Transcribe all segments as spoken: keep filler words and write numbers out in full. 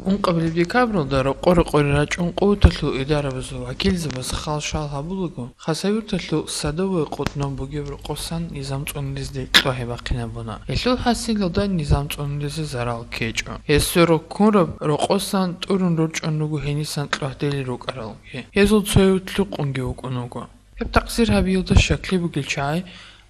Ункъабилеб декабралда рокъо-рокъоре рачӀун къуваталъул идарабазул вакилзабаз хал-шал гьабулаго, Хасавюрталъул Садовое къотӀнов бугеб рокъосан низам цӀунулезде кьвагьи бахъинабуна. Гьелъул хӀасилалда низам цӀунулезе зарал ккечӀо. Гьесие роккунраб рокъосан тӀурун рорчӀун руго гьенисан кьвагьдели рукӀаралги. Гьезул цояв лъукъунги вукӀун вуго. Гьеб такъсир гьабиялда щаклъи бугел чагӀи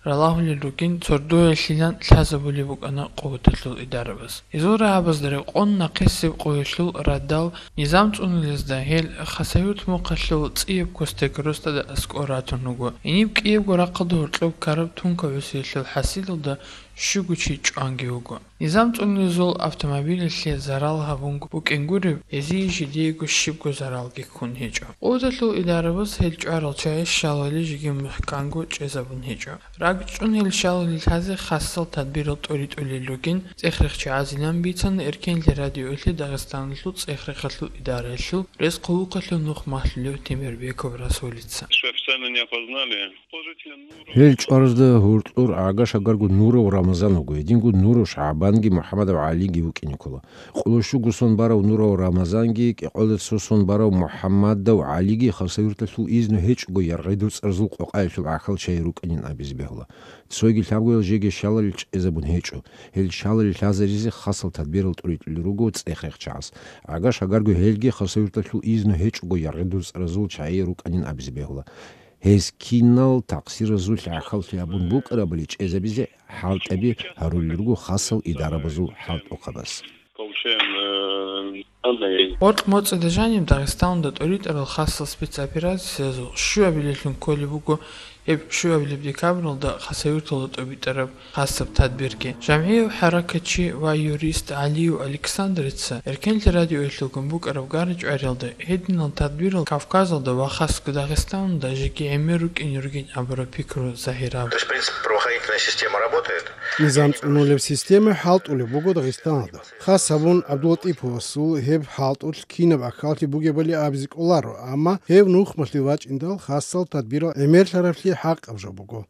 ралагьулел ругин, цордоялъилан лъазабулеб букӀана къуваталъул идарабаз. Гьезул рагӀабазда рекъон нахъисеб къоялъул радал низам цӀунулезда гьел Хасавюрт мухъалъул цӀияб Костек росдада аскӀор ратун руго. Гьениб кӀиябго рахъалда гьоркьоб ккараб тункаб гӀусиялъул хӀасилалда щуго чи чӀванги вуго. Низам цӀунулезул автомобилялъе зарал гьабун букӀин гуреб, гьезие жидеего щибго заралги ккун гьечӀо. Къуваталъул идарабаз гьел чӀварал чагӀи щалали жеги мухӀканго чӀезабун гьечӀо. РакӀчӀун гьел щалали лъазе хасал тадбирал тӀоритӀулел ругин, цӀех-рех чагӀазилан бицана Эркенлъи радиоялъе Дагъистаналъул цӀех-рехалъул идараялъул рес-хъулухъалъул нух малъулев Темирбеков Расулица. Что официально не опознали. Гьел чӀваразда гьоркьор гӀага-шагарго Нуров Рамазан вуго, гьединго Нуров ШагӀбанги МухӀаммадов ГӀалиги вукӀине ккола. Къоло щуго сон барав Нуров Рамазанги кӀикъоялда цо сон барав МухӀаммадов ГӀалиги Хасавюрталъул изну гьечӀого яргъи-дуцӀаразул къокъаялъул гӀахьал чагӀи рукӀанин абизе бегьула. Цойги лъабгоял жеги щалалил чӀезабун гьечӀо. Гьел щалалил лъазаризе хасал тадбирал тӀоритӀулел руго цӀех-рех чагӀаз. ГӀага-шагарго гьелги Хасавюрталъул изну гьечӀого яргъи-дуцӀаразул чагӀи рукӀанин абизе бегьула. Гьез кинал такъсиразулъ гӀахьаллъи гьабун букӀарабали чӀезабизе хӀалтӀаби гьарулел руго хасал идарабазул хӀалтӀухъабаз. Получаем, э, данные. Гъоркь моцӀида жаниб Дагъистаналда тӀоритӀарал хасал спецоперациязул щуабилелъун кколеб буго гьеб щуабилеб декабралда Хасавюрталда тӀобитӀараб хасаб тадбирги. ЖамгӀияв хӀаракатчи ва юрист ГӀалиев Александрица Эркенлъи радиоялъулгун букӀараб гара-чӀвариялда гьединал тадбирал Кавказалда ва хасго Дагъистаналда жеги гӀемер рукӀине ругин абураб пикру загьираб. То есть, в принципе, правоохранительная система работает. Низам цӀунулеб система хӀалтӀулеб буго Дагъистаналда. Хас гьабун ГӀабдулатӀиповасул гьеб хӀалтӀулъ кинаб ахӀаллъи бугебали абизе кӀоларо, амма гьев нухмалъе вачӀиндал хасал тадбирал гӀемерлъараблъи хӀакъаб жо буго.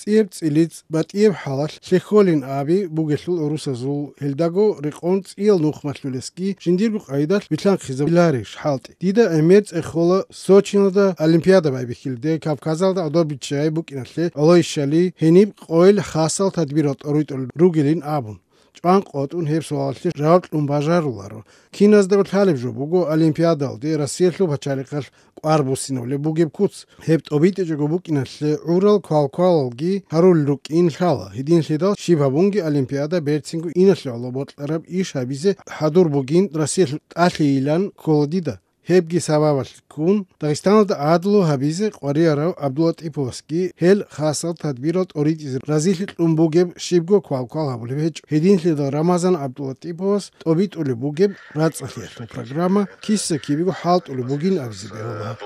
ЦӀияб цӀилиц батӀияб хӀалалъ лъехьолин аби бугелъул гӀурусазул гьелдаго рекъон цӀиял нухмалъулесги жиндирго къайдалъ билълъанхъизабиларищ хӀалтӀи? Дида гӀемер цӀехола Сочиналда Олимпиада байбихьилде Кавказалда гӀодобиччай букӀиналъе гӀолойищали гьениб къойил хасал тадбирал тӀоритӀулел ругилин абун. ЧӀван къотӀун гьеб суалалъе жаваб кьун бажаруларо. Киназдаго лъалеб жо буго Олимпиадалде Россиялъул пачалихъалъ кӀвар буссинавулеб бугеб куц. Гьеб тӀобитӀичӀого букӀиналъе гӀурал квалквалалги гьарулел рукӀин лъала. Гьединлъидал щиб гьабунги Олимпиада берцинго иналъе гӀоло бокьараб иш гьабизе хӀадур бугин Россиялъул тӀалъийилан ккола дида. Гьебги сабабалъ ккун, Дагъистаналда гӀадлу гьабизе къваригӀарав ГӀабдулатӀиповасги гьел хасал тадбирал тӀоритӀизе разилъи кьун бугеб щибго квалквал гьабулеб гьечӀо. Гьединлъидал Рамазан ГӀабдулатӀиповас тӀобитӀулеб бугеб рацӀцӀалъиялъул программа киса-кибего хӀалтӀулеб бугин абизе бегьула.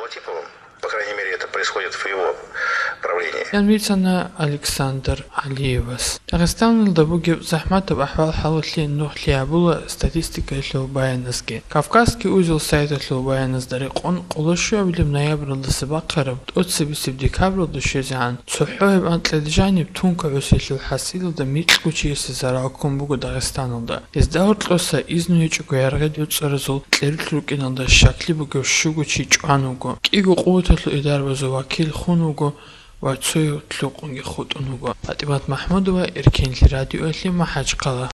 По крайней мере, это происходит в его правлении. Ян бицана Александр ГӀалиевас. Дагъистаналда бугеб захӀматаб ахӀвал-хӀалалъе нугӀлъи гьабула статистикаялъул баяназги. Кавказский узел сайталъул баяназда рекъон, къоло щуабилеб ноябралдаса бахъараб тӀоцебесеб декабралда щвезегӀан, цохӀо гьеб анкьида жаниб тункаб гӀусиялъул хӀасилалда микьго чиясе зарал ккун буго Дагъистаналда. Гьезда гьоркьоса изну гьечӀого яргъи-дуцӀаразул кьерулъ рукӀиналда щаклъи бугев щуго чи чӀван вуго. КӀиго къуваталъул идарабазул вакил хун вуго ва цояв лъукъунги хутӀун вуго. ПатӀимат МахӀмудова, Эркенлъи радиоялъе, МахӀачхъала.